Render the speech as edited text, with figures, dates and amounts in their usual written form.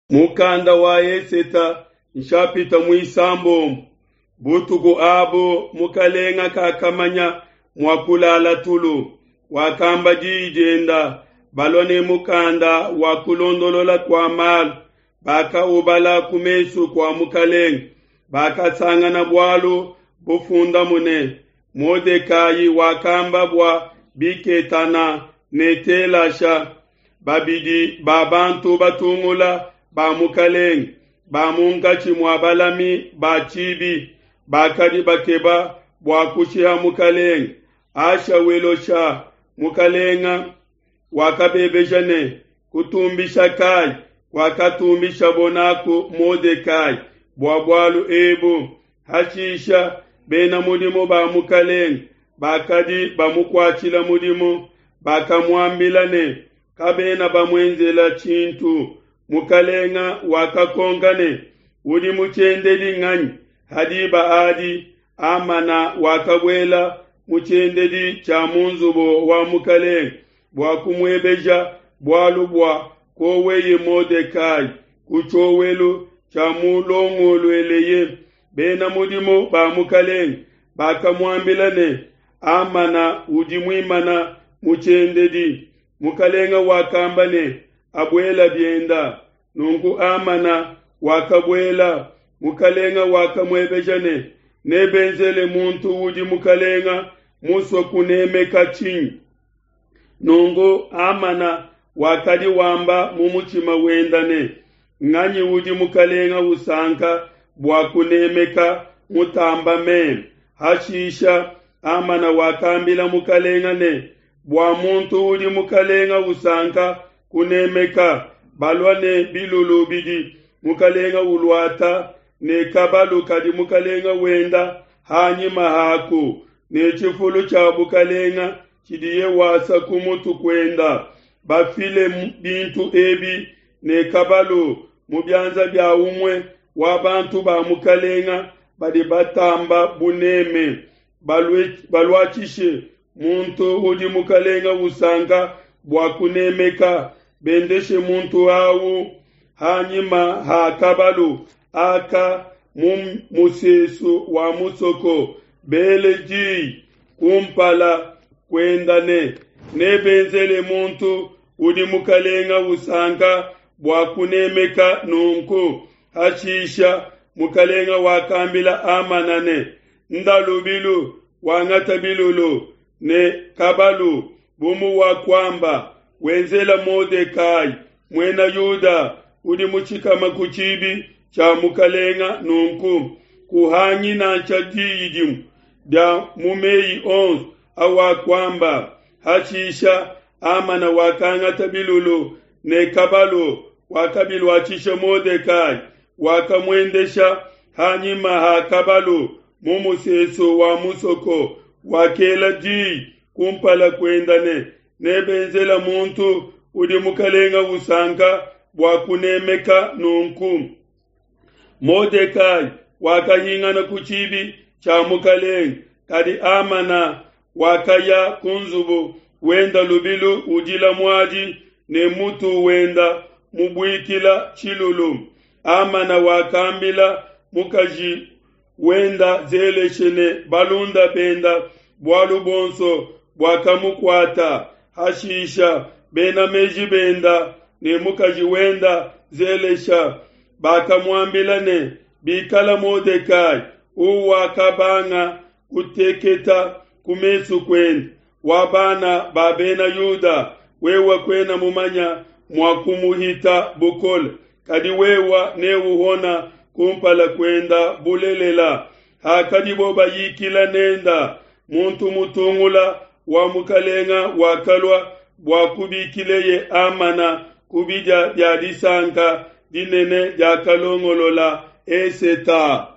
Mukanda wa Eseta nshapita muisambombo. Butuku abu mukalenga kakamanya mua kulala tulu. Wakamba diyi dienda, balua ne mukanda wa kulondolola kua malu, bakaubala ku mesu kua mukalenga. Bakasangana bualu bufundamu ne, Modekayi wakamba bua Biketana ne Telasha, babidi ba bantu batungula ba mukalenge ba munkatshi mua balami ba tshibi bakadi bakeba bua kushiha mukalenge. Ashawelosha mukalenga wakabebeja ne, Kutumbisha kai kuakatumbishabo naku Modekai bua bualu ebu? Hashisha bena mudimu ba mukalenge bakadi bamukuatshila mudimu bakamuambila ne, Kabena bamuenzela tshintu. Mukalenga wakakonka ne, Udi mu tshiendedi nganyi? Ha diba adi Hamana wakabuela mu tshiendedi tshia mu nzubu wa mukalenge bua kumuebeja bualu bua koweye Modekai ku tshiowelu tshiamulongolueleye. Bena mudimu ba mukalenge bakamuambila ne, Hamana udi muimana mu tshiendedi. Mukalenga wakamba ne, Abuela bienda. Nunku Hamana wakabuela. Mukalenga wakamuebeja ne, Nebenzele muntu udi mukalenga musue kunemeka tshinyi? Nunku Hamana wakadi wamba mu mutshima wenda ne, Nganyi udi mukalenga usanka bua kunemeka mutamba meme? Hashisha Hamana wakambila mukalenga ne, Bua muntu udi mukalenga usanka kunemeka, balua ne bilulu bidi mukalenga uluata, ne kabalu kadi mukalenga wenda ha nyima haku, ne tshifulu tshia bukalenga tshidiye wasa ku mutu kuenda, bafile bintu ebi ne kabalu mu bianza bia umue wa bantu ba mukalenga badi batamba buneme, baluatshishe muntu udi mukalenga usanka bua kunemeka, bendeshe muntu au ha nyima ha kabalu aka mu musesu wa musoko, bele diyi kumpala kuenda ne, Nebenzele muntu udi mukalenga usanka bua kunemeka nunku. Hashisha mukalenga wakambila Hamana ne, Nda lubilu, wangata bilulu ne kabalu bu muwakuamba, wenzela Modekai, Muena Yuda, udi mutshikama ku tshibi tshia mukalenga nunku. Kuhangi nansha diyi dimue dia mu meyi onso awakuamba. Hashisha Hamana wakangata bilulu ne kabalu, wakabiluatshisha Modekai, wakamuendesha ha nyima ha kabalu mu musesu wa musoko, wakela diyi kumpala kuenda ne, Nebenzela muntu udi mukalenga usanka bua kunemeka nunku. Modekai wakahingana ku tshibi tshia mukalenge, kadi Hamana wakaya ku nzubu wenda lubilu udila muadi ne mutu wenda mubuikila tshilulu. Hamana wakambila mukaji wenda Zeleshe ne balunda benda bualu buonso buakamukuata. Hashisha bena meji benda ne mukaji wenda Zelesha bakamuambila ne, Bikala Modekai uwakabanga kuteketa ku mesu kuende wa bana ba Bena Yuda, wewe kuena mumanya mua kumuhita bukole, kadi wewe neuhona kumpala kuenda bulelela. Hakadibo bayikila nenda, muntu mutungula wa mukalenga wakalua bua kubikileye Hamana ku bidia bia disanka dinene diakalongolola Eseta.